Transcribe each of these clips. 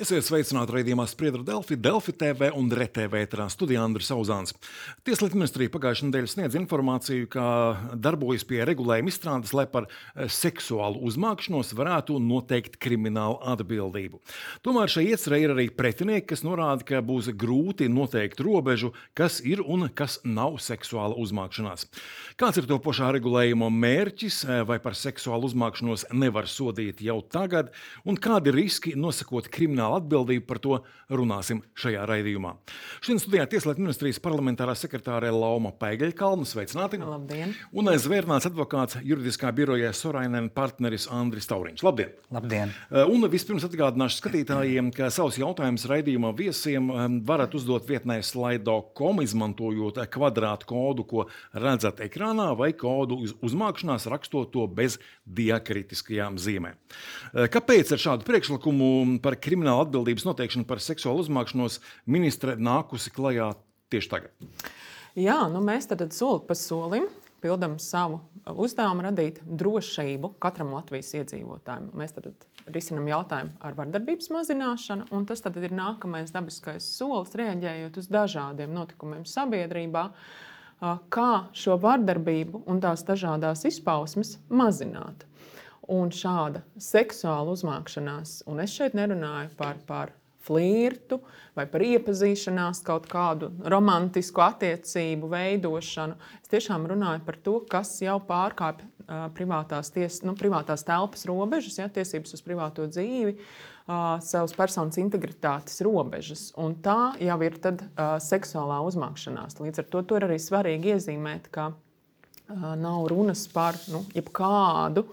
Esiet sveicināti raidījumā Spriedra Delfi, Delfi TV un RTV ēterā studijā Andris Auzāns. Tieslietu ministrija pagājušajā nedēļā sniedz informāciju, ka darbojas pie regulējuma izstrādes, lai par seksuālu uzmākšanos varētu noteikt kriminālu atbildību. Tomēr šai iecerei ir arī pretinieki, kas norāda, ka būs grūti noteikt robežu, kas ir un kas nav seksuāla uzmākšanās. Kāds ir to pašā regulējuma mērķis, vai par seksuālu uzmākšanos nevar sodīt jau tagad, un kādi riski nosakot kriminālu atbildību, par to runāsim šajā raidījumā. Šodien studijā Tieslietu ministrijas parlamentārā sekretārē Lauma Paigaļkalna. Sveicināti! Labdien! Un zvērnāts advokāts juridiskā birojā Sorainen partneris Andris Tauriņš. Labdien! Labdien! Un vispirms atgādināšu skatītājiem, ka savus jautājumus raidījuma viesiem varat uzdot vietnē slido.com, izmantojot kvadrātu kodu, ko redzat ekrānā, vai kodu uzmākšanās, rakstot to bez diakritiskajām zīmēm. Kāpēc ar šādu priekšlikumu par kriminālu atbildības noteikšanu par seksuālu uzmākšanos ministre nākusi klajā tieši tagad? Jā, mēs tad soli pa solim pildam savu uzdevumu radīt drošību katram Latvijas iedzīvotājam. Mēs tad risinam jautājumu ar vardarbības mazināšanu, un tas tad ir nākamais dabiskais solis, reaģējot uz dažādiem notikumiem sabiedrībā, kā šo vardarbību un tās dažādās izpausmes mazināt. Un šāda seksuāla uzmākšanās, un es šeit nerunāju par flirtu vai par iepazīšanās, kaut kādu romantisku attiecību veidošanu. Es tiešām runāju par to, kas jau pārkāpj privātās telpas robežas, tiesības uz privāto dzīvi, savas personas integritātes robežas. Un tā jau ir tad seksuālā uzmākšanās. Līdz ar to ir arī svarīgi iezīmēt, ka nav runas par jebkādu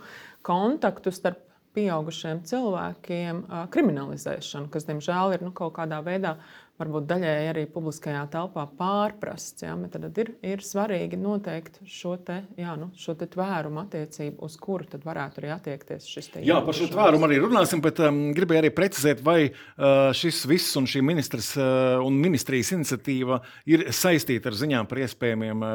kontaktu starp pieaugušiem cilvēkiem kriminalizēšanu, kas, diemžēl, ir kaut kādā veidā varbūt daļēji arī publiskajā telpā pārprasts. Tad ir svarīgi noteikt šo te tvērumu attiecību, uz kuru tad varētu arī attiekties šis te. Jā, par šo tvērumu arī runāsim, bet gribēju arī precizēt, vai šis viss un šī ministras un ministrijas iniciatīva ir saistīta ar ziņām par iespējamiem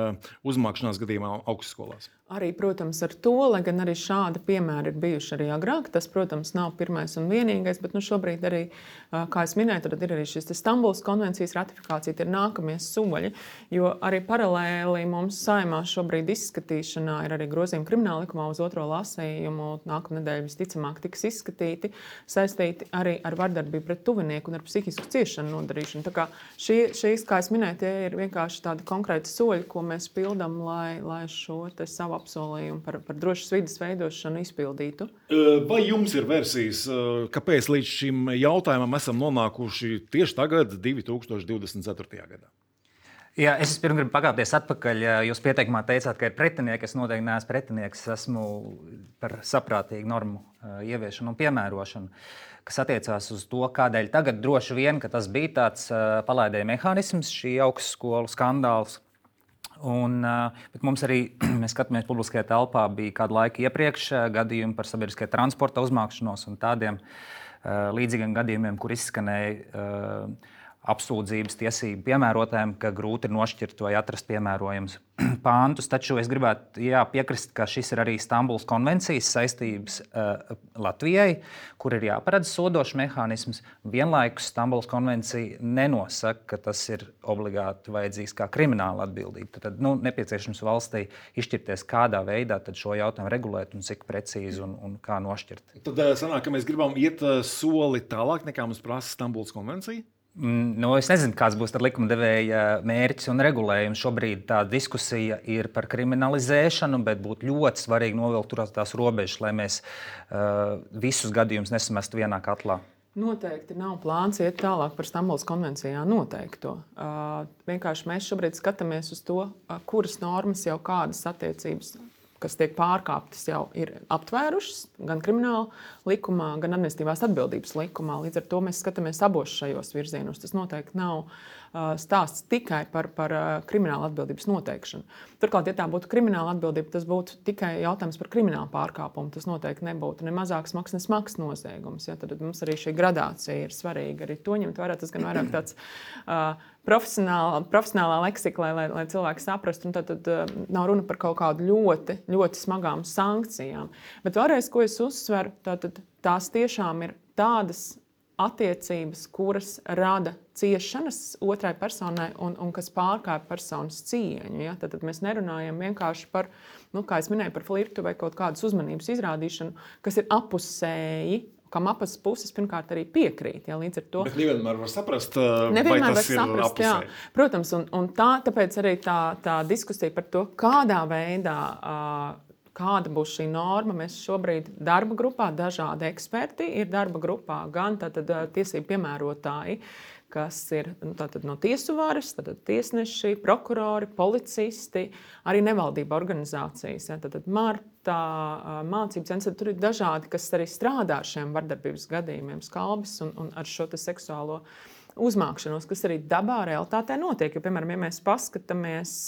uzmākšanās gadījumā augstskolās. Arī, protams, ar to, lai gan arī šādi piemēri ir bijuši arī agrāk. Tas, protams, nav pirmais un vienīgais, bet šobrīd arī, kā es minēju, tad ir arī šis Stambulas konvencijas ratifikācija, tie ir nākamie soļi, jo arī paralēli mums Saeimā šobrīd izskatīšanā ir arī grozījumi krimināla likumā uz otro lasījumu, nākamnedēļ visticamāk tiks izskatīti, saistīti arī ar vardarbību pret tuvinieku un ar psihisku ciešanu nodarīšanu. Tā kā šīs, kā es minēju, tie ir vienkārši tādi konkrēti soļi, ko mēs pildam, lai šo te savu apsolījumu par drošas vides veidošanu izpildītu. Vai jums ir versijas, kāpēc līdz šim jautājumam esam nonākuši tieši tagad, 2024. gadā? Jā, es pirms gribu pakāpties atpakaļ. Jūs pieteikumā teicāt, ka ir pretinieki. Es noteikti neesmu pretinieks. Esmu par saprātīgu normu ieviešanu un piemērošanu, kas attiecās uz to, kādēļ tagad droši vien, ka tas bija tāds palaidēja mehānisms, šī augstskolu skandāls. Bet mums arī, mēs skatāmies publiskajā telpā, bija kādu laiku iepriekš gadījumi par sabiedriskajā transporta uzmākšanos un tādiem līdzīgiem gadījumiem, kur izskanēja apsūdzības tiesību piemērotājiem, ka grūti ir nošķirt vai atrast piemērojams pāntus. Taču es gribētu piekrist, ka šis ir arī Stambulas konvencijas saistības Latvijai, kur ir jāparedz sodošs mehānisms. Vienlaikus Stambulas konvencija nenosaka, ka tas ir obligāti vajadzīgs kā krimināla atbildība. Tad nepieciešams valstī izšķirties, kādā veidā tad šo jautājumu regulēt un cik precīzi un kā nošķirt. Tad sanāk, ka mēs gribam iet soli tālāk, nekā mums prasa Stambulas konvencija? Es nezinu, kāds būs likumdevēja mērķis un regulējums. Šobrīd tā diskusija ir par kriminalizēšanu, bet būtu ļoti svarīgi novilkt tās robežas, lai mēs visus gadījumus nesamestu vienā katlā. Noteikti nav plāns iet tālāk par Stambulas konvencijā noteikto. Vienkārši mēs šobrīd skatāmies uz to, kuras normas jau kādas attiecības, kas tiek pārkāptas, jau ir aptvērušas gan krimināla likumā, gan administratīvās atbildības likumā. Līdz ar to mēs skatāmies abos šajos virzienos. Tas noteikti nav stāsts tikai par krimināla atbildības noteikšanu. Turklāt, ja tā būtu krimināla atbildība, tas būtu tikai jautājums par kriminālu pārkāpumu. Tas noteikti nebūtu ne mazāk smags, ne smags noziegums. Tad mums arī šī gradācija ir svarīga. Arī to ņemt vērā. Tas gan vairāk tāds profesionālā leksika, lai cilvēki saprastu. Tad nav runa par kaut kādu ļoti, ļoti smagām sankcijām. Bet vēlreiz, ko es uzsveru, tās tiešām ir tādas attiecības, kuras rada ciešanas otrai personai un kas pārkāpj personas cieņu. Ja? Tad mēs nerunājam vienkārši par, kā es minēju, par flirtu vai kaut kādas uzmanības izrādīšanu, kas ir apusēji, kam abas puses pirmkārt arī piekrīt. Ja, līdz ar to Bet nevienmēr var saprast, vai tas ir apusēji. Protams, un tāpēc arī tā diskusija par to, kādā veidā, kāda būs šī norma. Mēs šobrīd darba grupā dažādi eksperti ir darba grupā, gan tiesību piemērotāji, kas ir no tiesu varas, tiesneši, prokurori, policisti, arī nevaldība organizācijas. Ja, Marta, mācību centrs, tur ir dažādi, kas arī strādā ar šiem vardarbības gadījumiem, skalbis un ar šo seksuālo uzmākšanos, kas arī dabā realitātē notiek. Jo, piemēram, ja mēs paskatāmies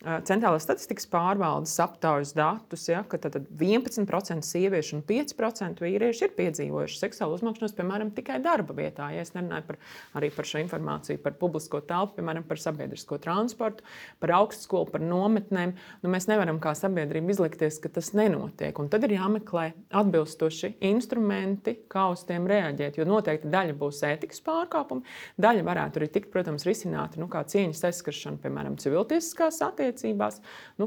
Centrālās statistikas pārvaldes aptaujas datus, ja, ka 11% sieviešu un 5% vīrieši ir piedzīvojuši seksuālu uzmākšanos, piemēram, tikai darba vietā. Ja es nerunāju arī par šo informāciju, par publisko telpu, piemēram, par sabiedrisko transportu, par augstskolu, par nometnēm. Mēs nevaram kā sabiedrība izlikties, ka tas nenotiek. Un tad ir jāmeklē atbilstoši instrumenti, kā uz tiem reaģēt. Jo noteikti daļa būs ētikas pārkāpumi, daļa varētu arī tikt, protams, risināti kā cieņas aizskaršana, piemēram, civiltiesiskās attiecībās.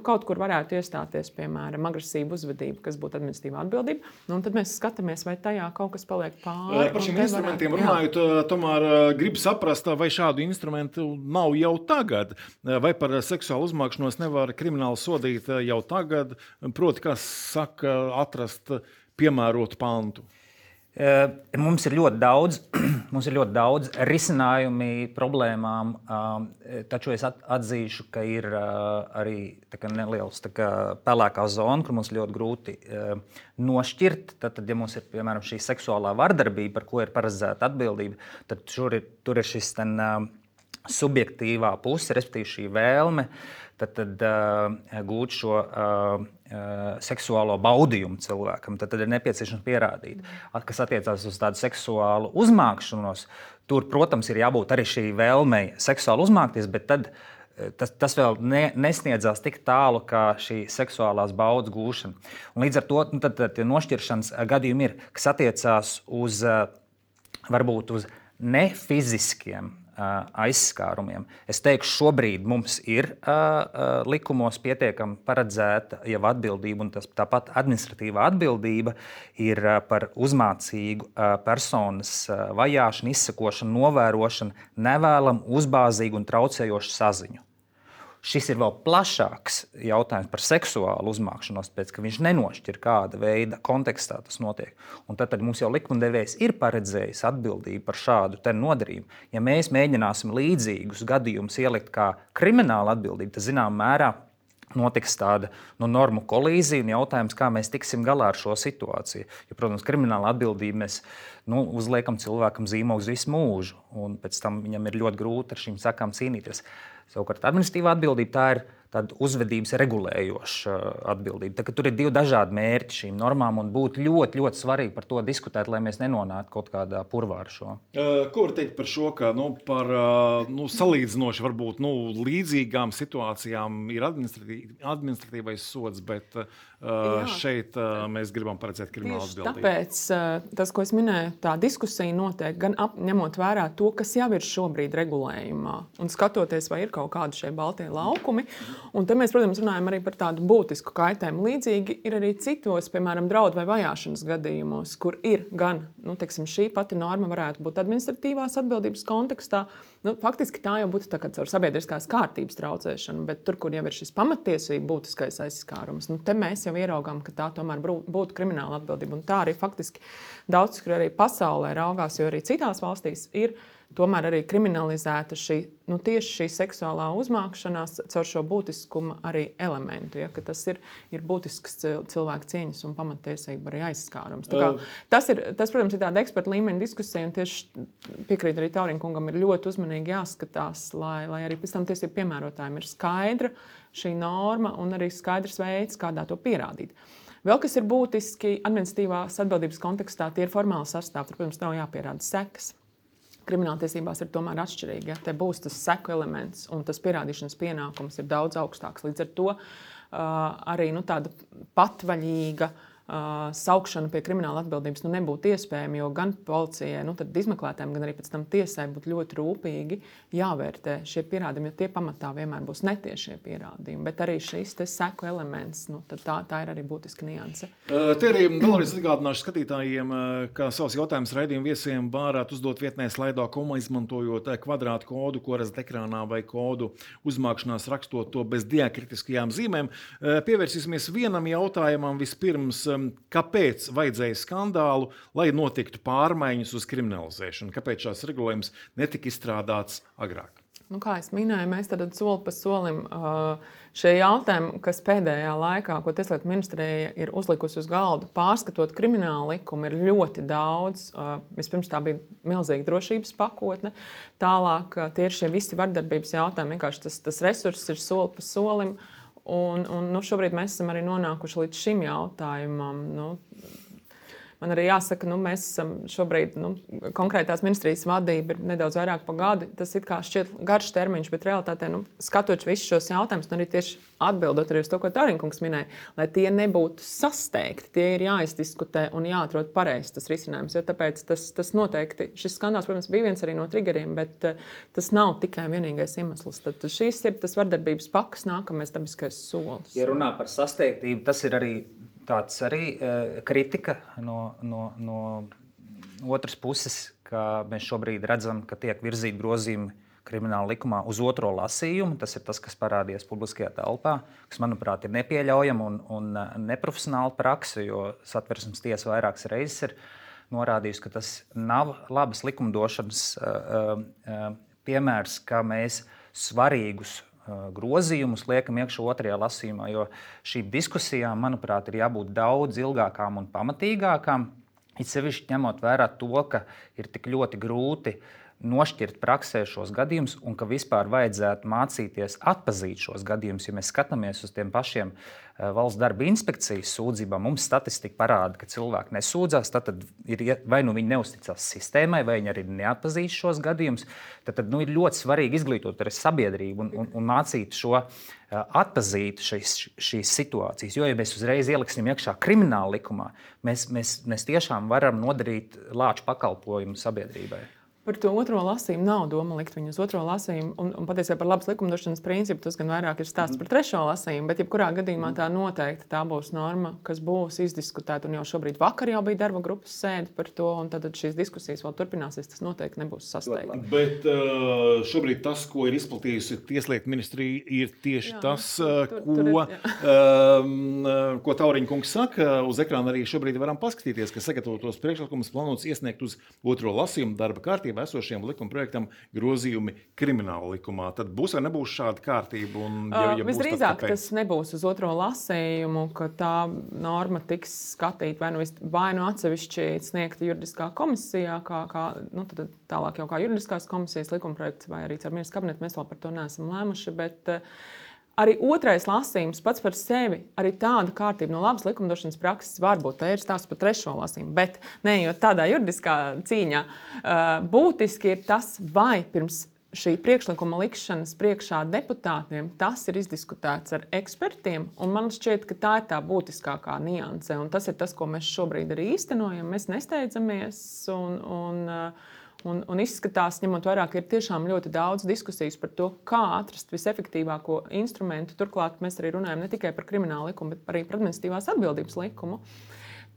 Kaut kur varētu iestāties, piemēram, agresīva uzvedība, kas būtu administratīva atbildība. Un tad mēs skatāmies, vai tajā kaut kas paliek pāri. Par šiem instrumentiem runājot, tomēr gribu saprast, vai šādu instrumentu nav jau tagad, vai par seksuālu uzmākšanos nevar krimināli sodīt jau tagad, proti, kā saka, atrast piemērotu pantu. Mums ir ļoti daudz risinājumi problēmām, taču es atzīšu, ka ir arī neliels pelēkā zona, kur mums ļoti grūti nošķirt. Tad, ja mums ir piemēram šī seksuālā vardarbība, par ko ir paredzēta atbildība, tad tur ir šis subjektīvā puse, respektīvi šī vēlme tad gūt šo seksuālo baudījumu cilvēkam. Tad ir nepieciešams pierādīt, kas attiecās uz tādu seksuālu uzmākšanos. Tur, protams, ir jābūt arī šī vēlmei seksuāli uzmākties, bet tad tas vēl nesniedzās tik tālu kā šī seksuālās baudas gūšana. Un līdz ar to tad nošķiršanas gadījumi ir, kas attiecās uz varbūt uz nefiziskiem aizskārumiem. Es teikšu, šobrīd mums ir likumos pietiekami paredzēta jau atbildība, un tāpat administratīvā atbildība ir par uzmācīgu personas vajāšanu, izsekošanu, novērošanu, nevēlamu, uzbāzīgu un traucējošu saziņu. Šis ir vēl plašāks jautājums par seksuālu uzmākšanos, pēc ka viņš nenošķir, kāda veida kontekstā tas notiek. Un tad mums jau likumdevējs ir paredzējis atbildību par šādu nodarījumu. Ja mēs mēģināsim līdzīgus gadījumus ielikt kā krimināla atbildība, tad zināmā mērā notiks tāda normu kolīzija un jautājums, kā mēs tiksim galā ar šo situāciju. Jo, protams, krimināla atbildība mēs uzliekam cilvēkam zīmogu uz visu mūžu, un pēc tam viņam ir ļoti grūti ar šīm sakām cīnīties. Savukārt administratīvā atbildība tā ir tāda uzvedības regulējoša atbildība. Tur ir divi dažādi mērķi šīm normām, un būtu ļoti, ļoti svarīgi par to diskutēt, lai mēs nenonāktu kaut kādā purvā ar šo. Ko var teikt par šo, ka par salīdzinoši varbūt līdzīgām situācijām ir administratīvais sods, bet šeit mēs gribam paredzēt kriminālu atbildību. Tāpēc tas, ko es minēju, tā diskusija notiek gan ņemot vērā to, kas jau ir šobrīd regulējumā, un skatoties, vai ir kaut kādi šie baltie laukumi. Un te mēs, protams, runājam arī par tādu būtisku kaitējumu. Līdzīgi ir arī citos, piemēram, draudu vai vajāšanas gadījumos, kur ir gan, šī pati norma varētu būt administratīvās atbildības kontekstā. Faktiski tā jau būtu caur sabiedriskās kārtības traucēšanu, bet tur, kur jau ir šis pamattiesību būtiskais aizskārums, te mēs jau ieraugām, ka tā tomēr būtu krimināla atbildība. Un tā arī faktiski daudz, kur arī pasaulē raugās, jo arī citās valstīs ir tomēr arī kriminalizēta tieši šī seksuālā uzmākšanās caur šo būtiskuma arī elementu, ja, ka tas ir būtisks cilvēka cieņas un pamattiesība arī aizskārums. Tas, protams, ir tāda eksperta līmeņa diskusija, un tieši piekrīt arī Tauriņa kungam, ir ļoti uzmanīgi jāskatās, lai arī pēc tam tiesību piemērotājiem ir skaidra šī norma un arī skaidrs veids, kādā to pierādīt. Vēl kas ir būtiski administratīvās atbildības kontekstā, tie ir formāli sastāvi, tur, protams, nav jāpierāda sekas. Krimināltiesībās ir tomēr atšķirīgi. Ja? Te būs tas seku elements, un tas pierādīšanas pienākums ir daudz augstāks. Līdz ar to arī tāda patvaļīga saukšana pie krimināla atbildības nebūtu iespējama, jo gan policijai, izmeklētājiem, gan arī pēc tam tiesai būtu ļoti rūpīgi jāvērtē šie pierādījumi, jo tie pamatā vienmēr būs netiešie pierādījumi. Bet arī šis seku elements, tā ir arī būtiska nianse. Te arī vēlreiz atgādināšu skatītājiem, ka savus jautājumus raidījumu viesiem varētu uzdot vietnē Slido.com, izmantojot kvadrātu kodu, ko redzat ekrānā, vai kodu uzmākšanās rakstot to bez diakritiskajām zīmēm. Pievērsīsimies vienam jautājumam vispirms. Kāpēc vajadzēja skandālu, lai notiktu pārmaiņas uz kriminalizēšanu? Kāpēc šāds regulējums netika izstrādāts agrāk? Kā es minēju, mēs tad soli pa solim šie jautājumi, kas pēdējā laikā, ko Tieslietu ministrija ir uzlikusi uz galda, pārskatot kriminālu likumu, ir ļoti daudz. Vispirms tā bija milzīga drošības pakotne. Tālāk tie ir šie visi vardarbības jautājumi. Vienkārši tas resurss ir soli pa solim. Un šobrīd mēs esam arī nonākuši līdz šim jautājumam. Man arī jāsaka, mēs esam šobrīd, konkrētās ministrijas vadība ir nedaudz vairāk pa gadu. Tas it kā šķiet garš termiņš, bet realitātē, skatot visus šos jautājumus, un arī tieši atbildot arī uz to, ko Tauriņkungs minēja, lai tie nebūtu sasteigti, tie ir jāizdiskutē un jāatrod pareizs tas risinājums. Jo tāpēc tas noteikti, šis skandāls, protams, bija viens arī no triggeriem, bet tas nav tikai vienīgais iemesls. Tad šīs ir tas vardarbības paks, nākamais dabiskais solis. Ja runā par sasteigtību, tas ir arī tāds kritika no otras puses, ka mēs šobrīd redzam, ka tiek virzīti grozījumi krimināla likumā uz otro lasījumu. Tas ir tas, kas parādījās publiskajā telpā, kas, manuprāt, ir nepieļaujama un neprofesionāla prakse, jo Satversmes tiesa vairākas reizes ir norādījusi, ka tas nav labas likumdošanas piemērs, ka mēs svarīgus grozījumus liekam iekšā otrajā lasījumā, jo šīm diskusijām, manuprāt, ir jābūt daudz ilgākām un pamatīgākām. It sevišķi ņemot vērā to, ka ir tik ļoti grūti nošķirt praksē šos gadījumus un ka vispār vajadzētu mācīties atpazīt šos gadījumus. Ja mēs skatāmies uz tiem pašiem valsts darba inspekcijas sūdzībām, mums statistika parāda, ka cilvēki nesūdzās, tad ir, vai viņi neusticās sistēmai, vai viņi arī neatpazīst šos gadījumus. Tad ir ļoti svarīgi izglītot arī sabiedrību un mācīt šo atpazīt šīs situācijas. Jo, ja mēs uzreiz ieliksim iekšā krimināla likumā, mēs tiešām varam nodarīt lāču pakalpojumu sabiedrībai. Par to otro lasījumu nav doma likt viņu uz otro lasījumu. Un patiesībā par labas likumdošanas principu tas gan vairāk ir stāsts par trešo lasījumu, bet jebkurā gadījumā tā noteikti tā būs norma, kas būs izdiskutēta. Un jau šobrīd vakar jau bija darba grupas sēde par to, un tad šīs diskusijas vēl turpināsies. Tas noteikti nebūs sasteigti. Bet šobrīd tas, ko ir izplatījusi Tieslietu ministrija, ir tieši tas, ko Tauriņkungs saka. Uz ekrāna arī šobrīd varam paskatīties, ka sagatavotos priekšlikumus plānots iesniegt uz otro lasījumu darba kārtībā esošiem likuma projektam grozījumi krimināla likumā. Tad būs vai nebūs šāda kārtība? Visdrīzāk tas nebūs uz otro lasījumu, ka tā norma tiks skatīta vai nu atsevišķi sniegta juridiskā komisijā, tad tālāk jau kā juridiskās komisijas likuma projekts, vai arī ar ministru kabinetu. Mēs vēl par to neesam lēmuši, bet arī otrais lasījums pats par sevi, arī tāda kārtība no labas likumdošanas prakses var būt. Tā ir stāsts par trešo lasījumu, bet neejot tādā juridiskā cīņā, būtiski ir tas, vai pirms šī priekšlikuma likšanas priekšā deputātiem tas ir izdiskutēts ar ekspertiem, un man šķiet, ka tā ir tā būtiskākā nianse, un tas ir tas, ko mēs šobrīd arī īstenojam. Mēs nesteidzamies un izskatās, ņemot vērā, ka ir tiešām ļoti daudz diskusijas par to, kā atrast visefektīvāko instrumentu. Turklāt mēs arī runājam ne tikai par kriminālu likumu, bet arī par administratīvās atbildības likumu.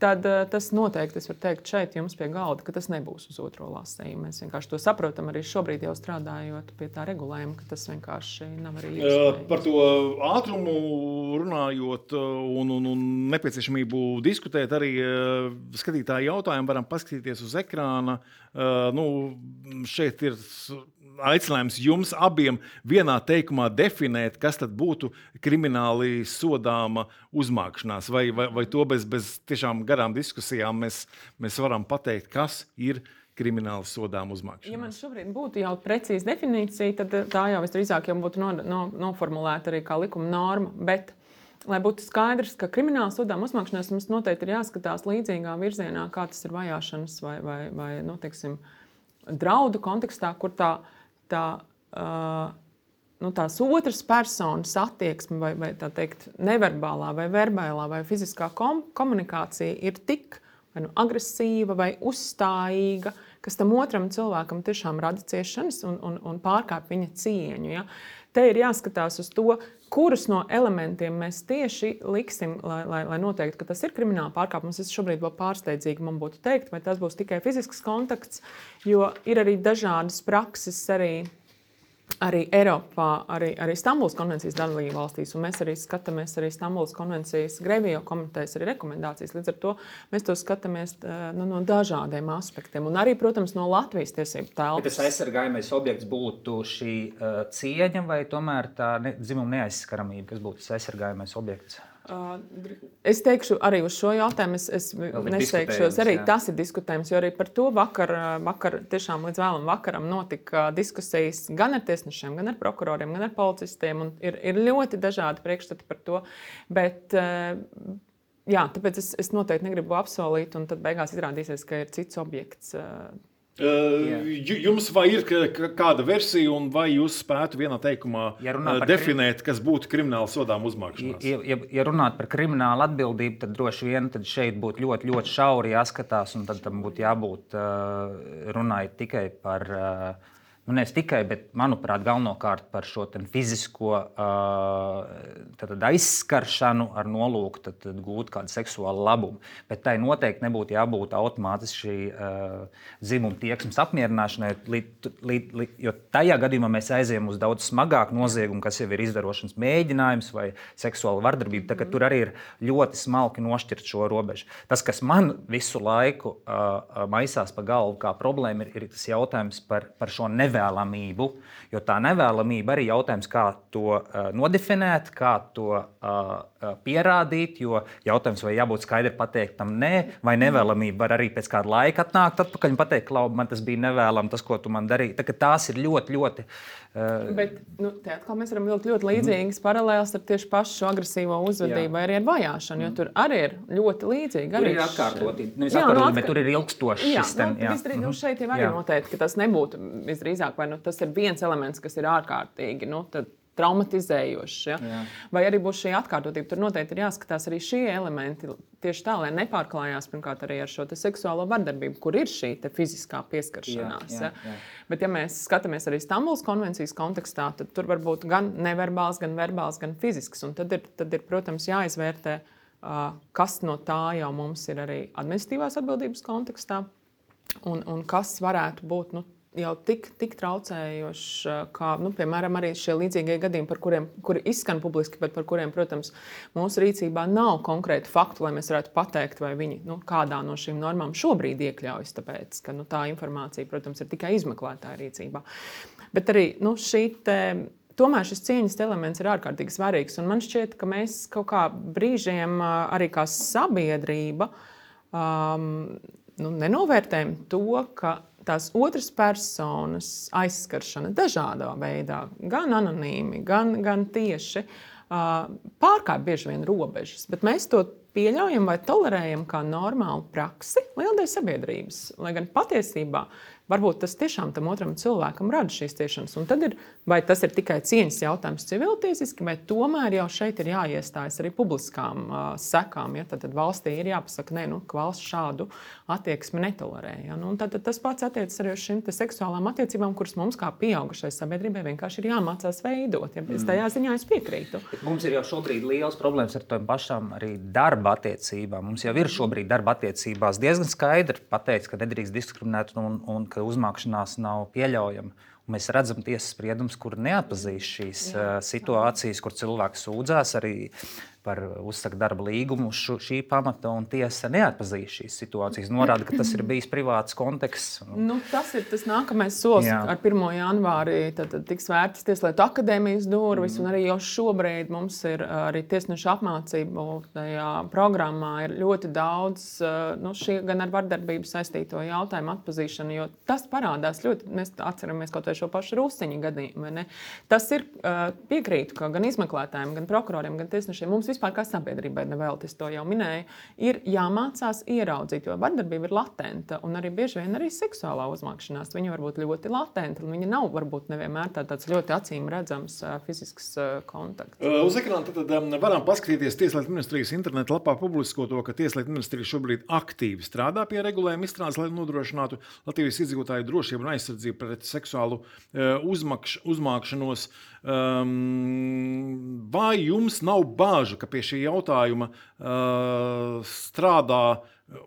Tad tas noteikti, es varu teikt, šeit jums pie galda, ka tas nebūs uz otro lasījumu. Mēs vienkārši to saprotam arī šobrīd jau strādājot pie tā regulējuma, ka tas vienkārši nav arī iespējams. Par to ātrumu runājot un nepieciešamību diskutēt arī skatītāju jautājumu varam paskatīties uz ekrāna. Šeit ir aicinājums jums abiem vienā teikumā definēt, kas tad būtu krimināli sodāma uzmākšanās, vai to bez tiešām garām diskusijām mēs varam pateikt, kas ir krimināli sodāma uzmākšanās. Ja man šobrīd būtu jau precīza definīcija, tad tā jau visdrīzāk jau būtu noformulēta arī kā likuma norma, bet lai būtu skaidrs, ka krimināli sodāma uzmākšanās mums noteikti ir jāskatās līdzīgā virzienā, kā tas ir vajāšanas vai teiksim, draudu kontekstā, kur tā tās otras personas attieksme vai tā teikt, neverbālā vai verbālā vai fiziskā komunikācija ir tik vai agresīva vai uzstājīga, kas tam otram cilvēkam tiešām rada ciešanas un pārkāpj viņa cieņu. Ja? Te ir jāskatās uz to, kurus no elementiem mēs tieši liksim, lai noteiktu, ka tas ir krimināla pārkāpums. Es šobrīd vēl pārsteidzīgi man būtu teikt, vai tas būs tikai fizisks kontakts, jo ir arī dažādas prakses arī Eiropā, arī Stambulas konvencijas dalību valstīs, un mēs arī skatāmies arī Stambulas konvencijas Grevijo komitejas arī rekomendācijas. Līdz ar to mēs to skatāmies no dažādiem aspektiem, un arī, protams, no Latvijas tiesību telpas. Bet tas aizsargājamais objekts būtu šī cieņa vai tomēr tā dzimuma neaizskaramība, kas būtu tas aizsargājamais objekts? Es teikšu arī uz šo jautājumu, es nesteikšos, arī tas ir diskutējums, jo arī par to vakar tiešām līdz vēlam vakaram notika diskusijas gan ar tiesnešiem, gan ar prokuroriem, gan ar policistiem, un ir ļoti dažādi priekšstati par to, bet jā, tāpēc es noteikti negribu apsolīt, un tad beigās izrādīsies, ka ir cits objekts. Jums vai ir kāda versija, un vai jūs spētu vienā teikumā definēt, kas būtu krimināla sodām uzmākšanās? Ja runāt par kriminālu atbildību, tad droši vien tad šeit būtu ļoti, ļoti šauri jāskatās, un tad tam būtu jābūt runājot tikai par, nevis tikai, bet, manuprāt, galvenokārt par šo fizisko aizskaršanu ar nolūku tad gūt kādu seksuālu labumu. Bet tai noteikti nebūtu jābūt automātiski dzimuma tieksmes apmierināšanai, jo tajā gadījumā mēs aizējam uz daudz smagāku noziegumu, kas jau ir izdarošanas mēģinājums vai seksuāla vardarbība. Tā, tur arī ir ļoti smalki nošķirt šo robežu. Tas, kas man visu laiku maisās pa galvu kā problēma, ir tas jautājums par šo nevēlamību, jo tā nevēlamība arī jautājums, kā to nodefinēt, kā to pierādīt, jo jautājums, vai jābūt skaidri pateikt tam nē, vai nevēlamība var arī pēc kāda laika atnākt atpakaļ un pateikt, Klau, man tas bija nevēlam, tas, ko tu man darīji. Tā, tās ir ļoti, ļoti... Bet te atkal mēs varam vilkt ļoti līdzīgas paralēlas ar tieši pašu šo agresīvo uzvedību vai arī ar vajāšanu, jo tur arī ir ļoti līdzīgi. Tur ir atkārtotība, nevis atkārtotība, bet tur ir ilgstoši. Šeit jau arī noteikti, ka tas nebūtu visdrīzāk, vai tas ir viens elements, kas ir ārkārtīgi, traumatizējošs. Ja? Vai arī būs šī atkārtotība. Tur noteikti ir jāskatās arī šie elementi tieši tā, lai nepārklājās pirmkārt arī ar šo seksuālo vardarbību, kur ir šī fiziskā pieskaršanās. Jā. Bet ja mēs skatāmies arī Stambulas konvencijas kontekstā, tad tur var būt gan neverbāls, gan verbāls, gan fizisks. Un tad ir, protams, jāizvērtē, kas no tā jau mums ir arī administratīvās atbildības kontekstā un kas varētu būt jau tik traucējoši, kā, piemēram, arī šie līdzīgie gadījumi, kuri izskan publiski, bet par kuriem, protams, mūsu rīcībā nav konkrēti faktu, lai mēs varētu pateikt, vai viņi kādā no šīm normām šobrīd iekļaujas, tāpēc, ka tā informācija, protams, ir tikai izmeklētāja rīcībā. Bet arī tomēr šis cieņas elements ir ārkārtīgi svarīgs, un man šķiet, ka mēs kaut kā brīžiem arī kā sabiedrība nenovērtējam to, ka tās otras personas aizskaršana dažādā veidā, gan anonīmi, gan tieši, pārkāpj bieži vien robežas. Bet mēs to pieļaujam vai tolerējam kā normālu praksi lielai sabiedrības. Lai gan patiesībā varbūt tas tiešām tam otram cilvēkam rada šīs ciešanas. Un tad vai tas ir tikai cieņas jautājums civiltiesiski, vai tomēr jau šeit ir jāiestājas arī publiskām sekām. Ja? Tad valstī ir jāpasaka, ka valsts šādu attieksmi netolerē. Ja? Tad tas pats attiecas arī uz šīm seksuālām attiecībām, kuras mums kā pieaugušai sabiedrībai vienkārši ir jāmācās veidot. Ja? Tajā ziņā es piekrītu. Mums ir jau šobrīd liels problēmas ar tām pašām arī darba attiecībām. Mums jau ir šobrīd darba attiecībās diezgan skaidri pateikts, ka nedrīkst diskriminēt un ka uzmākšanās nav pieļaujama. Un mēs redzam tiesas spriedumus, kur neatpazīst šīs situācijas, kur cilvēks sūdzās arī par uzsaka darba līgumu šī pamata, un tiesa neatpazīst šīs situācijas. Norāda, ka tas ir bijis privāts konteksts. Tas ir tas nākamais solis. Ar 1. janvāri tad tiks vērtas Tieslietu akadēmijas durvis, un arī jau šobrīd mums ir arī tiesnešu apmācību tajā programmā ir ļoti daudz šī gan ar vardarbību saistīto jautājumu atpazīšanu, jo tas parādās ļoti, mēs atceramies kaut vai šo pašu Rusiņu gadījumu. Tas ir piekrītu, ka gan izmeklētājiem, gan prokuroriem, gan tiesnešiem mums vispār kā sabiedrībai nevēlties to jau minēju, ir jāmācās ieraudzīt, jo vardarbība ir latenta un arī bieži vien arī seksuālā uzmākšanās. Viņa var būt ļoti latenta un viņa nav varbūt nevienmēr tāds ļoti acīm redzams fizisks kontakts. Uz ekrāna tad varam paskatīties Tieslietu ministrijas interneta lapā publisko to, ka Tieslietu ministrija šobrīd aktīvi strādā pie regulējuma izstrādes, lai nodrošinātu Latvijas iedzīvotāju drošību un aizsardzību pret seksuālu uzmākšanos. Vai jums nav bāžu, ka pie šī jautājuma strādā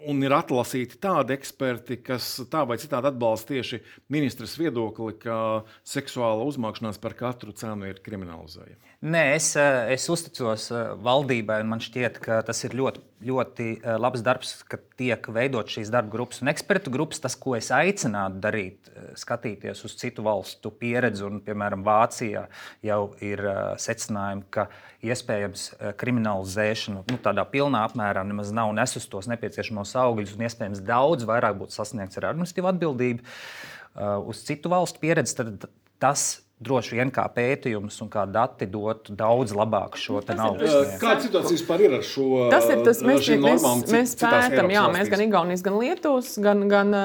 un ir atlasīti tādi eksperti, kas tā vai citādi atbalsta tieši ministras viedokli, ka seksuāla uzmākšanās par katru cenu ir kriminalizējama? Nē, es uzticos valdībai, un man šķiet, ka tas ir ļoti, ļoti labs darbs, ka tiek veidot šīs darba grupas un ekspertu grupas. Tas, ko es aicinātu darīt, skatīties uz citu valstu pieredzi, un, piemēram, Vācijā jau ir secinājumi, ka iespējams kriminalizēšana tādā pilnā apmērā nemaz nav nesus tos nepieciešamos augļus, un iespējams daudz vairāk būtu sasniegts ar administratīvu atbildību. Uz citu valstu pieredzi tad tas droši vien kā pētījums un kā dati dotu daudz labāk šo naudu. Kāda situācija vispār ir ar šo? Tas ir tas, normām mēs pētam, mēs gan Igaunijas, gan Lietuvas, gan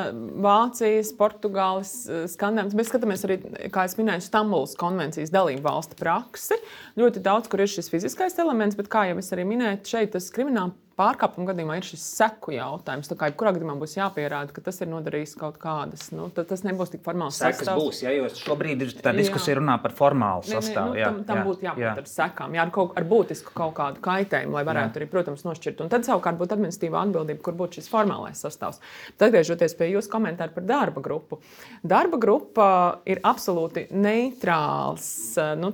Vācijas, Portugāles skandināvas. Mēs skatāmies arī, kā es minēju, Stambulas konvencijas dalību valstu praksi. Ļoti daudz, kur ir šis fiziskais elements, bet kā jau es arī minēju, šeit tas krimināla pārkāpuma gadījumā ir šis seku jautājums. Tā kā jebkurā gadījumā būs jāpierāda, ka tas ir nodarījis kaut kādas. Tas nebūs tik formāls sastāvs. Sekas būs, jo šobrīd ir tā diskusija runā par formālu sastāvu. Tam būtu jābūt ar sekām, ar būtisku kaut kādu kaitējumu, lai varētu arī, protams, nošķirt. Un tad savukārt būtu administratīvā atbildība, kur būtu šis formālais sastāvs. Tad atgriežoties pie jūsu komentāru par darba grupu. Darba grupa ir absolūti neitrāls,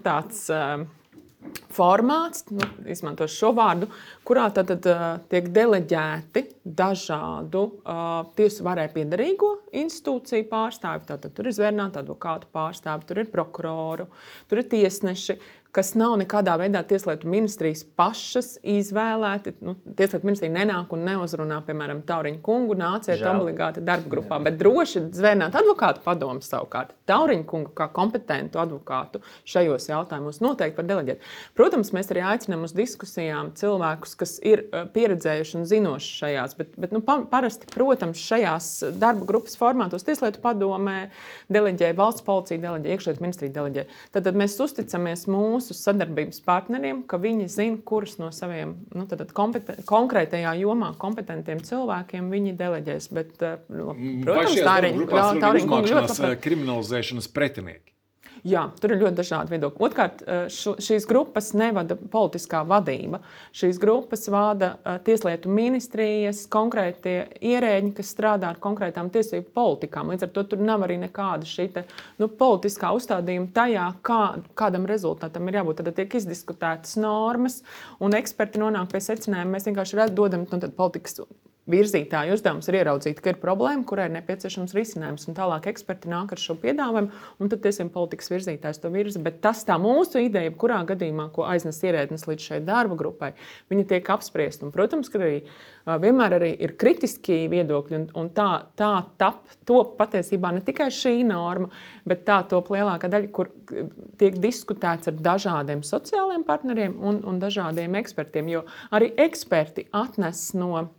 tāds formāts, izmantošu šo vārdu, kurā tad tiek deleģēti dažādu tiesu varai piederīgo institūciju pārstāvji. Tātad tur ir zvērnāti advokātu pārstāvji, tur ir prokuroru, tur ir tiesneši, kas nav nekādā veidā Tieslietu ministrijas pašas izvēlēti. Tieslietu ministrija nenāk un neuzrunā, piemēram, Tauriņu kungu, nāciet obligāti darba grupā, bet droši zvērnāt advokātu padomu savukārt. Tauriņu kungu kā kompetentu advokātu šajos jautājumos noteikti var deleģēt. Protams, mēs arī aicinām uz diskusijām cilvēkus, kas ir pieredzējuši un zinoši šajās, bet parasti, protams, šajās darba grupas formātos Tieslietu padomē deleģē, valsts policija deleģē, iekšlietu ministrija deleģē. Tad mēs uzticamies mūsu sadarbības partneriem, ka viņi zina, kurus no saviem konkrētajā jomā kompetentiem cilvēkiem viņi deleģēs. Bet, protams, Tauriņu kungu ļoti kriminalizēšanas pretinieki. Jā, tur ir ļoti dažādi viedokļi. Otrkārt, šīs grupas nevada politiskā vadība. Šīs grupas vada Tieslietu ministrijas konkrētie ierēģi, kas strādā ar konkrētām tiesību politikām. Līdz ar to tur nav arī nekāda šī politiskā uzstādījuma tajā, kādam rezultātam ir jābūt. Tad tiek izdiskutētas normas, un eksperti nonāk pie secinājuma. Mēs vienkārši dodam politikas virzītāju uzdevums ir ieraudzīt, ka ir problēma, kurai ir nepieciešams risinājums. Un tālāk eksperti nāk ar šo piedāvājumu, un tad tiešām politikas virzītājs to virza. Bet tas tā mūsu ideja, kurā gadījumā, ko aiznes ierēdnis līdz šai darba grupai, viņa tiek apspriesta. Un, protams, ka arī vienmēr arī ir kritiski viedokļi, un tā top patiesībā ne tikai šī norma, bet tā top lielākā daļa, kur tiek diskutēts ar dažādiem sociāliem partneriem un dažādiem ekspertiem, jo arī eksperti atnes no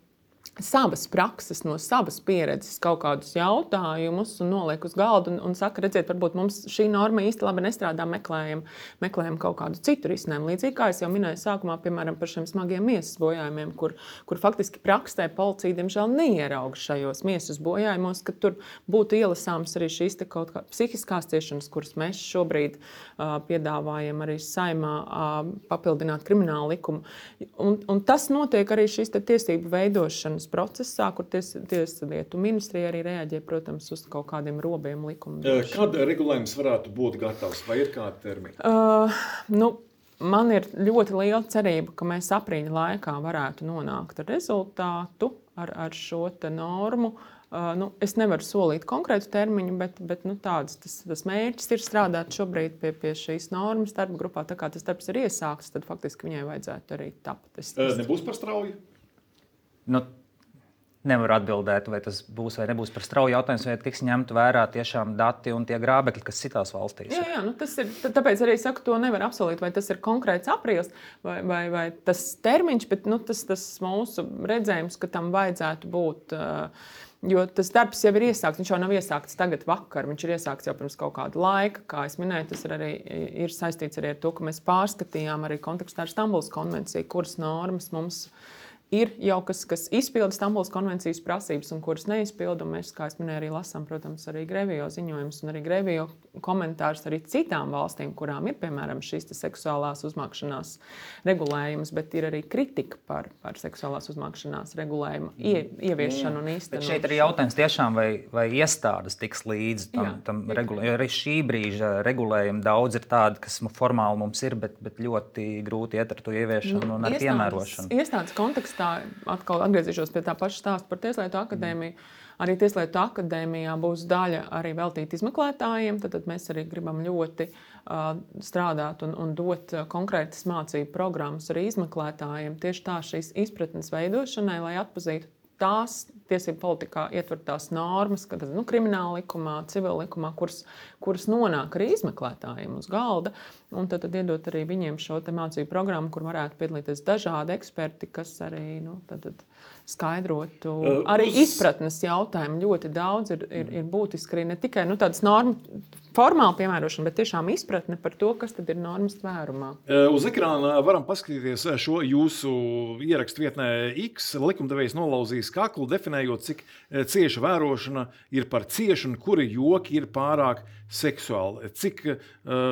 savas prakses, no savas pieredzes kaut kādus jautājumus un noliek uz galda un saka, redziet, varbūt mums šī norma īsti labi nestrādā, meklējam kaut kādu citu risinājumu. Līdzīgi kā es jau minēju sākumā, piemēram, par šiem smagiem miesas bojājumiem, kur faktiski praksē policija, diemžēl, neierauga šajos miesas bojājumos, ka tur būtu ielasāms arī šīs kaut kā psihiskās ciešanas, kuras mēs šobrīd piedāvājam arī Saeimā papildināt kriminālu likumu. Un tas notiek arī šīs tiesību veidošanas procesā, kur Tieslietu ministrija arī reaģē, protams, uz kaut kādiem robiem likuma. Kad regulējums varētu būt gatavs? Vai ir kādi termiņi? Man ir ļoti liela cerība, ka mēs aprīļa laikā varētu nonākt ar rezultātu, ar šo normu. Es nevaru solīt konkrētu termiņu, bet tas mērķis ir strādāt šobrīd pie šīs normas darba grupā. Tā kā tas darbs ir iesākts, tad faktiski viņai vajadzētu arī tapt. Nebūs par strauju? nevaru atbildēt, vai tas būs vai nebūs par strauju jautājums, vai tiks ņemt vērā tiešām dati un tie grābekļi, kas citās valstīs ir. Jā, tas ir. Tāpēc arī saku, to nevar apsolīt, vai tas ir konkrēts aprīlis vai tas termiņš, bet tas mūsu redzējums, ka tam vajadzētu būt. Jo tas darbs jau ir iesākts. Viņš jau nav iesākts tagad vakar. Viņš ir iesākts jau pirms kaut kāda laika. Kā es minēju, tas ir saistīts arī ar to, ka mēs pārskatījām arī kontekstā ar Stambulas konvenciju, kuras normas mums ir jau kas izpilda Stambulas konvencijas prasības un kuras neizpilda. Mēs, kā es minēju, arī lasām, protams, arī Grevio ziņojumus un arī Grevio komentārus arī citām valstīm, kurām ir, piemēram, šīs seksuālās uzmākšanās regulējums, bet ir arī kritika par seksuālās uzmākšanās regulējumu ieviešanu un īstenošanu. Bet šeit ir jautājums tiešām, vai iestādes tiks līdzi tam regulējumam. Arī šī brīža regulējumi daudz ir tādi, kas formāli mums ir, bet ļoti grūti iet ar to ieviešanu un ar piemērošanu. Iestādes kontekstā atkal atgriezīšos pie tā paša stāsta par Tieslietu akadēmiju. Arī Tieslietu akadēmijā būs daļa arī veltīta izmeklētājiem. Tad mēs arī gribam ļoti strādāt un dot konkrētas mācību programmas arī izmeklētājiem. Tieši tā šīs izpratnes veidošanai, lai atpazītu tās tiesību politikā ietvertās normas, kad krimināla likumā, civila likumā, kuras nonāk arī izmeklētājiem uz galda. Un tad iedot arī viņiem šo mācību programmu, kur varētu piedalīties dažādi eksperti, kas arī skaidrotu arī izpratnes jautājumu. Ļoti daudz ir būtiski arī ne tikai tādas normas formāla piemērošana, bet tiešām izpratne par to, kas tad ir normas tvērumā. Uz ekrāna varam paskatīties šo jūsu ierakstu vietnē X. Likumdevējs nolauzīs kaklu, definējot, cik cieša vērošana ir par ciešu un kuri joki ir pārāk seksuāli. Cik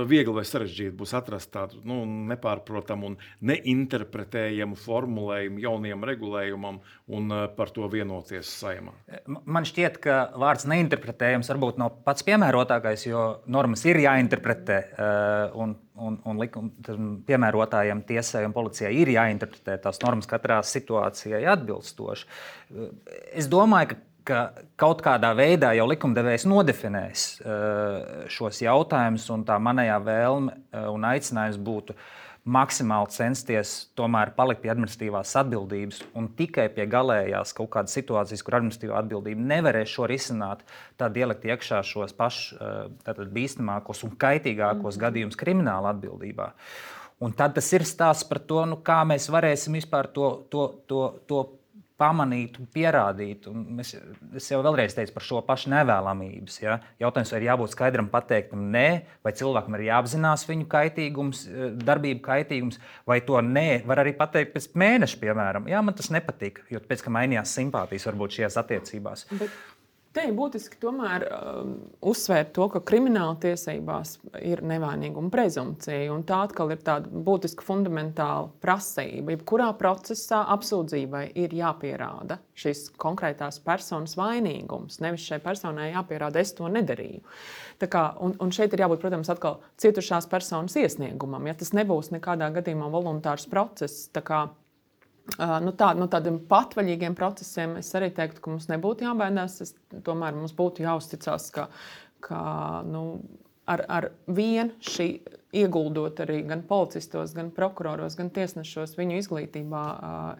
viegli vai sarežģīti būs atrast tādu nepārprotamu un neinterpretējamu formulējumu jaunajam regulējumam un par to vienoties Saeimā? Man šķiet, ka vārds neinterpretējams varbūt nav pats piemērotākais, jo normas ir jāinterpretē un piemērotājiem, tiesai un policijai ir jāinterpretē tās normas katrā situācijai atbilstoši. Es domāju, ka kaut kādā veidā jau likumdevējs nodefinēs šos jautājumus, un tā manējā vēlme un aicinājums būtu maksimāli censties tomēr palikt pie administratīvās atbildības un tikai pie galējās kaut kādas situācijas, kur administratīvā atbildība nevarēs šo risināt, tad ielikt iekšā šos pašus bīstamākos un kaitīgākos gadījumus krimināla atbildībā. Un tad tas ir stāsts par to, kā mēs varēsim vispār to pamanīt un pierādīt. Un es jau vēlreiz teicu par šo pašu nevēlamības. Ja? Jautājums, vai ir jābūt skaidram pateiktam nē, vai cilvēkam ir jāapzinās viņu kaitīgums, darbību kaitīgums, vai to nē var arī pateikt pēc mēneša, piemēram. Jā, man tas nepatika, jo pēc kā mainījās simpātijas varbūt šajās attiecībās. Bet te ir būtiski tomēr uzsvērt to, ka krimināla tiesībās ir nevainīguma prezumpcija, un tā atkal ir tāda būtiska fundamentāla prasība. Jebkurā procesā apsūdzībai ir jāpierāda šīs konkrētās personas vainīgums. Nevis šai personai jāpierāda, es to nedarīju. Tā kā, un šeit ir jābūt, protams, atkal cietušās personas iesniegumam. Ja tas nebūs nekādā gadījumā voluntārs process, tā kā tādiem patvaļīgiem procesiem es arī teiktu, ka mums nebūtu jābaidās. Tomēr mums būtu jāuzticas, ka ar vienu šī ieguldot arī gan policistos, gan prokuroros, gan tiesnešos viņu izglītībā,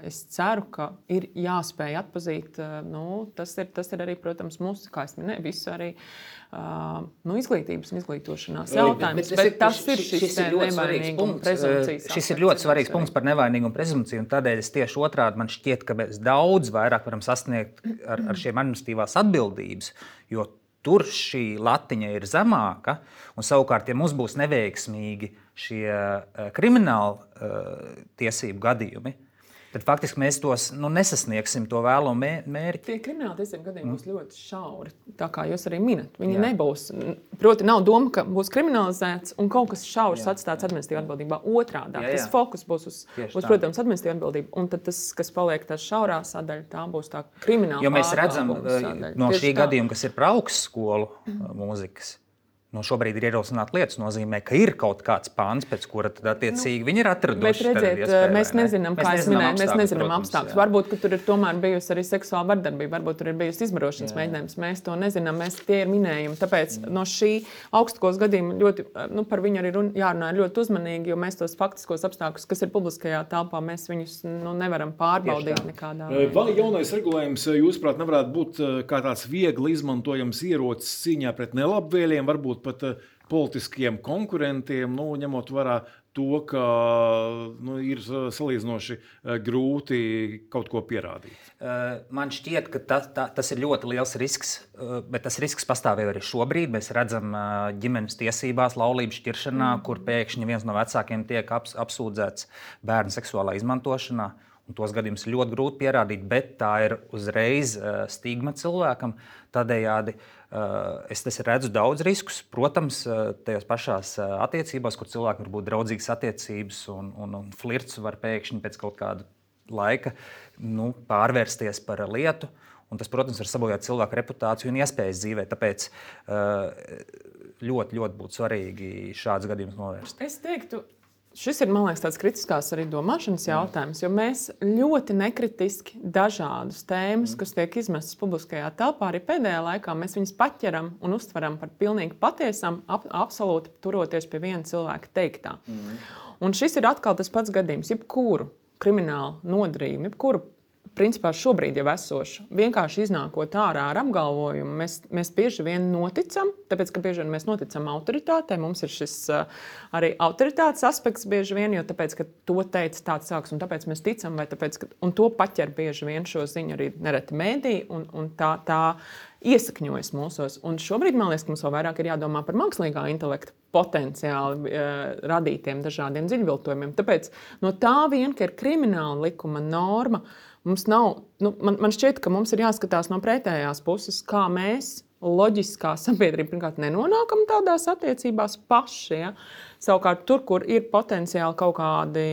es ceru, ka ir jāspēj atpazīt. Tas ir arī, protams, mūsu, kā es minēju, visu arī izglītības un izglītošanās jautājums. Bet tas ir šis nevainīguma prezumpcijas. Šis ir ļoti svarīgs punkts par nevainīgumu prezumpciju, un tādēļ es tieši otrādi man šķiet, ka mēs daudz vairāk varam sasniegt ar šiem administratīvās atbildības, jo tur šī latiņa ir zemāka, un savukārt, ja mums būs neveiksmīgi šie krimināla tiesību gadījumi, tad faktiski mēs tos nesasniegsim to vēlamo mērķi. Tie krimināla tiesību gadījumi būs ļoti šauri, tā kā jūs arī minat. Viņi nebūs, proti nav doma, ka būs kriminalizēts un kaut kas šaurs atstāts administratīvā atbildībā. Otrādā, tas fokus būs uz protams, administratīvā atbildība, un tad tas, kas paliek tā šaurā sadaļa, tā būs tā krimināla. Jo mēs redzam no šī gadījuma, kas ir par augstskolu mūzikas, šobrīd ir ierosināta lietas, nozīmē, ka ir kaut kāds pāns, pēc kura tad attiecīgi viņi ir atraduši. Bet redziet, mēs nezinām, kā es minēju, mēs nezinām apstākļus. Varbūt, ka tur ir tomēr bijusi arī seksuāla vardarbība, varbūt tur ir bijusi izbarošanas mēģinājums. Mēs to nezinām, tie ir minējumi. Tāpēc no šī augstskos gadījuma ļoti, par viņu arī jārunā ļoti uzmanīgi, jo mēs tos faktiskos apstākļus, kas ir publiskajā telpā, mēs viņus nevaram pārbaudīt nekādā veidā. Vai jaunais regulējums, jūsuprāt, nevarētu būt kā tāds viegli izmantojams ierocis cīņā pret nelabvēliem, varbūt pat politiskiem konkurentiem, ņemot vērā to, ka ir salīdzinoši grūti kaut ko pierādīt? Man šķiet, ka tas ir ļoti liels risks, bet tas risks pastāv arī šobrīd. Mēs redzam ģimenes tiesībās, laulību šķiršanā, kur pēkšņi viens no vecākiem tiek apsūdzēts bērnu seksuālā izmantošanā. Un tos gadījumus ir ļoti grūti pierādīt, bet tā ir uzreiz stigma cilvēkam. Tādējādi es redzu daudz riskus. Protams, tajās pašās attiecībās, kur cilvēki var būt draudzīgas attiecības un flirts var pēkšņi pēc kaut kāda laika pārvērsties par lietu. Un tas, protams, var sabojāt cilvēku reputāciju un iespējas dzīvē. Tāpēc ļoti, ļoti būtu svarīgi šādus gadījumus novērst. Es teiktu, šis ir, man liekas, tāds kritiskās arī domāšanas jautājums, jo mēs ļoti nekritiski dažādus tēmas, kas tiek izmestas publiskajā telpā, arī pēdējā laikā mēs viņus paķeram un uztveram par pilnīgi patiesām, absolūti turoties pie viena cilvēka teiktā. Un šis ir atkal tas pats gadījums, jebkuru kriminālu nodarījumu, jebkuru principā šobrīd jau esošu, vienkārši iznākot ārā ar apgalvojumu, mēs bieži vien noticam, tāpēc, ka bieži vien mēs noticam autoritātei, mums ir šis arī autoritātes aspekts bieži vien, jo tāpēc, ka to teica tāds cilvēks, un tāpēc mēs ticam, vai tāpēc, ka, un to paķer bieži vien šo ziņu arī nereti mēdī, un tā iesakņojas mūsos. Un šobrīd, man liekas, ka mums vēl vairāk ir jādomā par mākslīgā intelekta potenciāli radītiem dažādiem dziļviltojumiem. Tāpēc no tā vien, ka ir krimināla likuma norma, mums nav, man šķiet, ka mums ir jāskatās no pretējās puses, kā mēs loģiskā sabiedrība pirmkārt nenonākam tādās attiecībās paši. Ja? Savukārt tur, kur ir potenciāli kaut kādi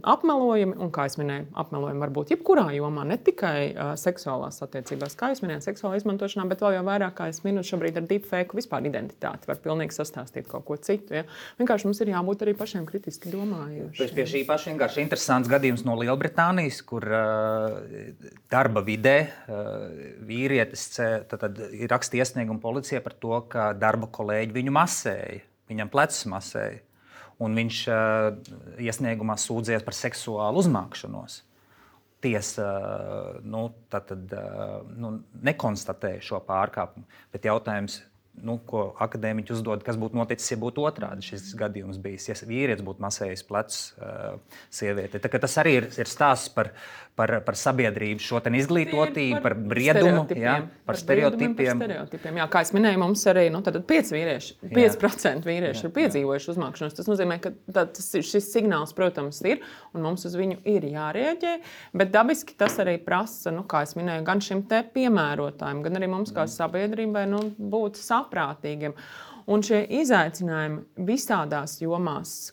apmelojumi, un, kā es minēju, apmelojumi var būt jebkurā jomā, ne tikai seksuālās attiecībās, kā es minēju, seksuālā izmantošanā, bet vēl jau vairāk, kā es minu, šobrīd ar deepfake vispār identitāti var pilnīgi sastāstīt kaut ko citu. Ja? Vienkārši mums ir jābūt arī pašiem kritiski domājošiem. Pie šī paša vienkārši interesants gadījums no Lielbritānijas, kur darba vidē vīrietis ir raksta iesniegumu policijai par to, ka darba kolēģi viņu masēja, viņam plecus masēja. Un viņš iesniegumā sūdzējās par seksuālu uzmākšanos. Tiesa nekonstatēja šo pārkāpumu, bet jautājums, ko akadēmiķi uzdod, kas būtu noticis, ja būtu otrādi šis gadījums bijis, ja vīrietis būtu masējis plecus sievieti. Tas arī ir stāsts par sabiedrību, šo izglītotību, par briedumu, par stereotipiem. Jā, kā es minēju, mums arī 5% vīrieši ir piedzīvojuši uzmākšanos. Tas nozīmē, ka šis signāls, protams, ir, un mums uz viņu ir jārēģē, bet dabiski tas arī prasa, kā es minēju, gan šim te piemērotājiem, gan arī mums kā sabiedrībai būt saprātīgiem. Un šie izaicinājumi visādās jomās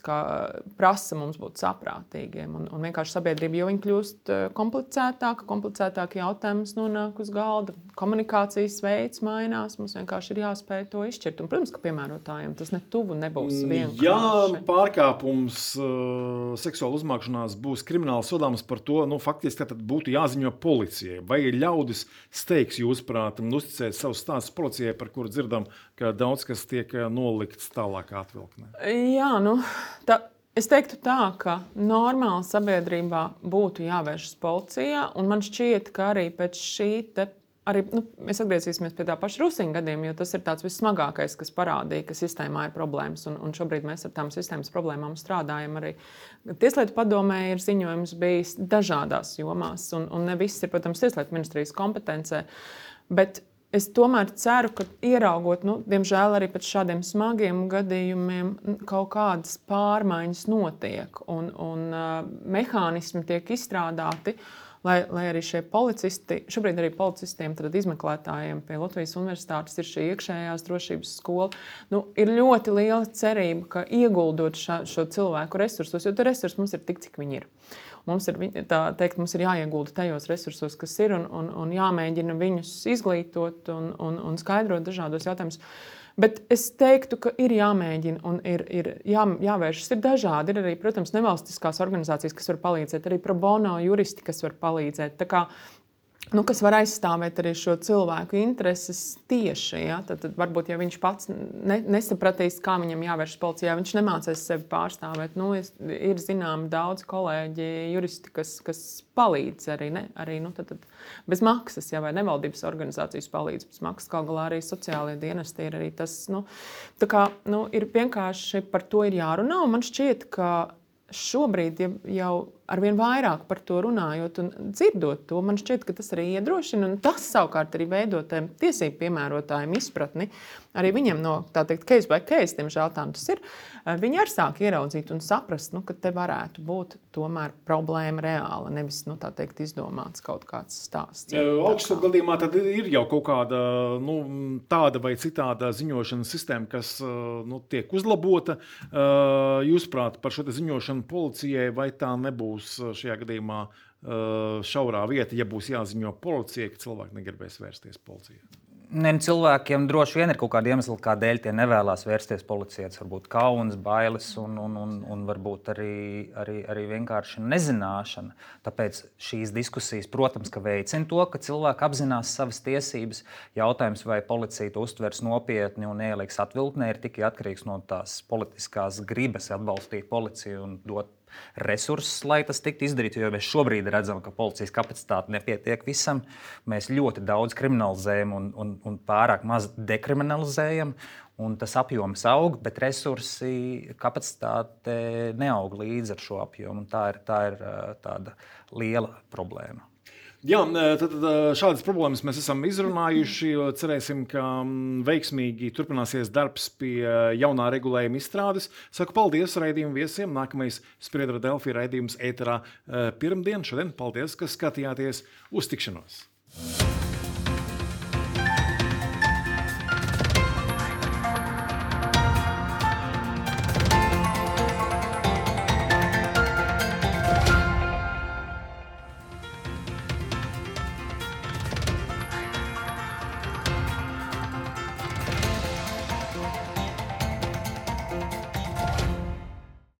prasa mums būt saprātīgiem. Un vienkārši sabiedrība, jo viņi kļūst komplicētāki jautājumi nonāk uz galda. Komunikācijas veids mainās, mums vienkārši ir jāspēj to izšķirt. Un, protams, ka piemērotājiem tas tuvu nebūs vienkārši. Ja pārkāpums seksuāla uzmākšanās būs krimināli sodāms, par to faktiski tad būtu jāziņo policijai. Vai ļaudis steigs, jūsuprāt, uzticēt savus stāstus policijai, par kuru dzirdam, ka daudz kas tiek nolikts tālākā atvilknē? Jā, es teiktu tā, ka normāli sabiedrībā būtu jāvēršas policijā, un man šķiet, ka arī pēc šī mēs atgriezīsimies pie tā paša Rusiņa gadījuma, jo tas ir tāds vissmagākais, kas parādīja, ka sistēmā ir problēmas, un šobrīd mēs ar tām sistēmas problēmām strādājam arī. Tieslietu padomē ir ziņojums bijis dažādās jomās, un ne viss ir, protams, Tieslietu ministrijas kompetencē, bet es tomēr ceru, ka ieraugot, diemžēl arī pēc šādiem smagiem gadījumiem, kaut kādas pārmaiņas notiek un mehānismi tiek izstrādāti, lai arī šie policisti, šobrīd arī policistiem, tad izmeklētājiem pie Latvijas universitātes ir šī iekšējās drošības skola. Ir ļoti liela cerība, ka ieguldot šo cilvēku resursos, jo resursi mums ir tik, cik viņi ir. Mums ir jāiegulda tajos resursos, kas ir, un jāmēģina viņus izglītot un skaidrot dažādos jautājumus. Bet es teiktu, ka ir jāmēģina un ir jāvēršas. Ir dažādi. Ir arī, protams, nevalstiskās organizācijas, kas var palīdzēt, arī pro bono juristi, kas var palīdzēt. Tā kā, kas var aizstāvēt arī šo cilvēku intereses tieši. Ja? Tad varbūt, ja viņš pats nesapratīs, kā viņam jāvēršas policijā, viņš nemācīs sevi pārstāvēt. Ir zināmi daudz kolēģi, juristi, kas palīdz arī tad bez maksas, ja, vai nevaldības organizācijas palīdz bez maksas. Kaut galā arī sociālie dienesti ir arī tas. Tā kā ir vienkārši par to ir jārunā. Un man šķiet, ka šobrīd jau arvien vairāk par to runājot un dzirdot to, man šķiet, ka tas arī iedrošina, un tas savukārt arī veido tiem tiesību piemērotājiem izpratni. Arī viņiem no, tā teikt, case by case, diemžēl tā tas ir, viņi arī sāk ieraudzīt un saprast, ka te varētu būt tomēr problēma reāla, nevis, tā teikt, izdomāts kaut kāds stāsts. Augstu gadījumā tad ir jau kaut kāda tāda vai citāda ziņošanas sistēma, kas tiek uzlabota. Jūsuprāt, par šo ziņošanu policijai, vai tā nebūs šajā gadījumā šaurā vieta, ja būs jāziņo policijai, ka cilvēki negribēs vērsties policijā? Cilvēkiem droši vien ir kaut kāda iemesla, kādēļ tie nevēlas vērsties policijā. Tas varbūt kauns, bailes un varbūt arī vienkārši nezināšana. Tāpēc šīs diskusijas, protams, ka veicina to, ka cilvēki apzinās savas tiesības. Jautājums, vai policija to uztvers nopietni un ieliks atviltnē, ir tikai atkarīgs no tās politiskās gribas atbalstīt policiju un dot resursus, lai tas tiktu izdarīts, jo mēs šobrīd redzam, ka policijas kapacitāte nepietiek visam. Mēs ļoti daudz kriminalizējam un pārāk maz dekriminalizējam, un tas apjoms aug, bet resursi, kapacitāte neaug līdz ar šo apjomu. Tā ir tāda liela problēma. Jā, tad šādas problēmas mēs esam izrunājuši. Cerēsim, ka veiksmīgi turpināsies darbs pie jaunā regulējuma izstrādes. Saku paldies raidījumu viesiem. Nākamais Spriedra Delfi raidījums ēterā pirmdien. Šodien paldies, ka skatījāties. Uz tikšanos!